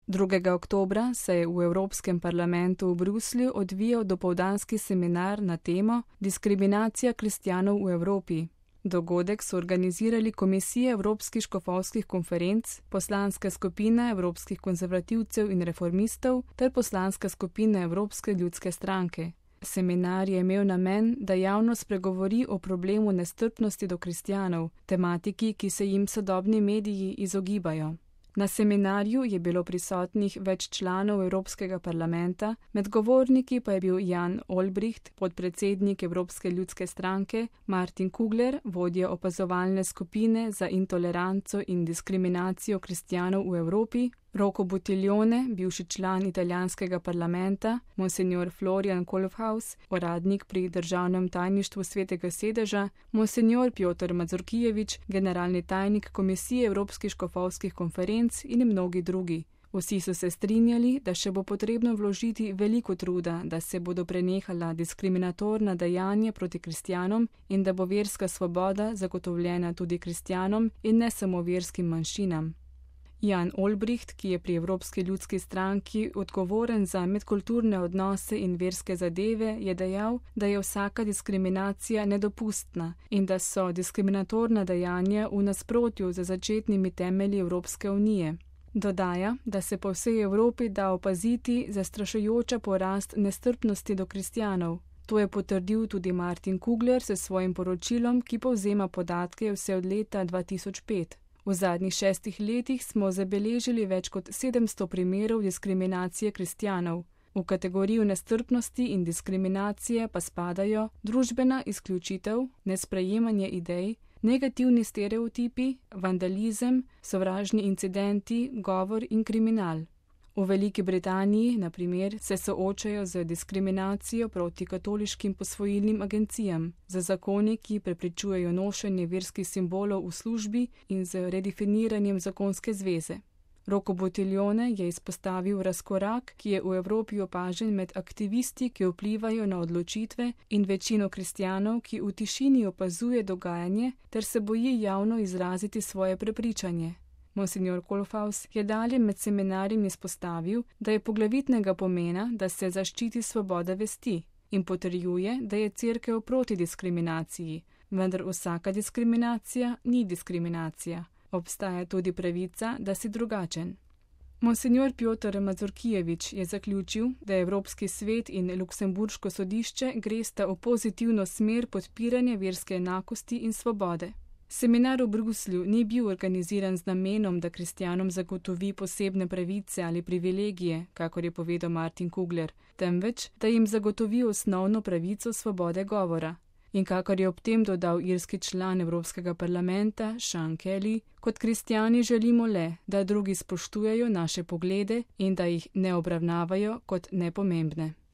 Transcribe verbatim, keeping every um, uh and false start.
drugega oktobra se je v Evropskem parlamentu v Bruslju odvijal dopoldanski seminar na temo Diskriminacija kristjanov v Evropi. Dogodek so organizirali Komisija Evropskih škofovskih konferenc, Poslanska skupina Evropskih konzervativcev in reformistov ter Poslanska skupina Evropske ljudske stranke. Seminar je imel namen, da javnost spregovori o problemu nestrpnosti do kristjanov, tematiki, ki se jim sodobni mediji izogibajo. Na seminarju je bilo prisotnih več članov Evropskega parlamenta, med govorniki pa je bil Jan Olbricht, podpredsednik Evropske ljudske stranke, Martin Kugler, vodja opazovalne skupine za intoleranco in diskriminacijo kristjanov v Evropi, Rocco Buttiglione, bivši član italijanskega parlamenta, monsignor Florian Kolfhaus, uradnik pri državnem tajništvu Svetega sedeža, monsignor Pjotr Mazurkijevič, generalni tajnik Komisije Evropskih škofovskih konferenc in mnogi drugi. Vsi so se strinjali, da še bo potrebno vložiti veliko truda, da se bodo prenehala diskriminatorna dejanja proti kristjanom in da bo verska svoboda zagotovljena tudi kristjanom in ne samo verskim manjšinam. Jan Olbricht, ki je pri Evropski ljudski stranki odgovoren za medkulturne odnose in verske zadeve, je dejal, da je vsaka diskriminacija nedopustna in da so diskriminatorna dejanja v nasprotju z začetnimi temelji Evropske unije. Dodaja, da se po vsej Evropi da opaziti zastrašujoča porast nestrpnosti do kristjanov. To je potrdil tudi Martin Kugler s svojim poročilom, ki povzema podatke vse od leta dva tisoč pet. V zadnjih šestih letih smo zabeležili več kot sedemsto primerov diskriminacije kristjanov. V kategorijo nestrpnosti in diskriminacije pa spadajo družbena izključitev, nesprejemanje idej, negativni stereotipi, vandalizem, sovražni incidenti, govor in kriminal. V Veliki Britaniji, na primer, se soočajo z diskriminacijo proti katoliškim posvojilnim agencijam, z zakoni, ki preprečujejo nošenje verskih simbolov v službi in z redefiniranjem zakonske zveze. Rocco Buttiglione je izpostavil razkorak, ki je v Evropi opažen med aktivisti, ki vplivajo na odločitve, in večino kristjanov, ki v tišini opazuje dogajanje ter se boji javno izraziti svoje prepričanje. Monsignor Kolfhaus je dalje med seminarjem izpostavil, da je poglavitnega pomena, da se zaščiti svoboda vesti in potrjuje, da je cerkev proti diskriminaciji, vendar vsaka diskriminacija ni diskriminacija. Obstaja tudi pravica, da si drugačen. Monsignor Pjotr Mazurkijevič je zaključil, da Evropski svet in Luksemburško sodišče gresta v pozitivno smer podpiranja verske enakosti in svobode. Seminar v Bruslju ni bil organiziran z namenom, da kristjanom zagotovi posebne pravice ali privilegije, kakor je povedal Martin Kugler, temveč, da jim zagotovi osnovno pravico svobode govora. In kakor je ob tem dodal irski član Evropskega parlamenta Sean Kelly, kot kristjani želimo le, da drugi spoštujejo naše poglede in da jih ne obravnavajo kot nepomembne.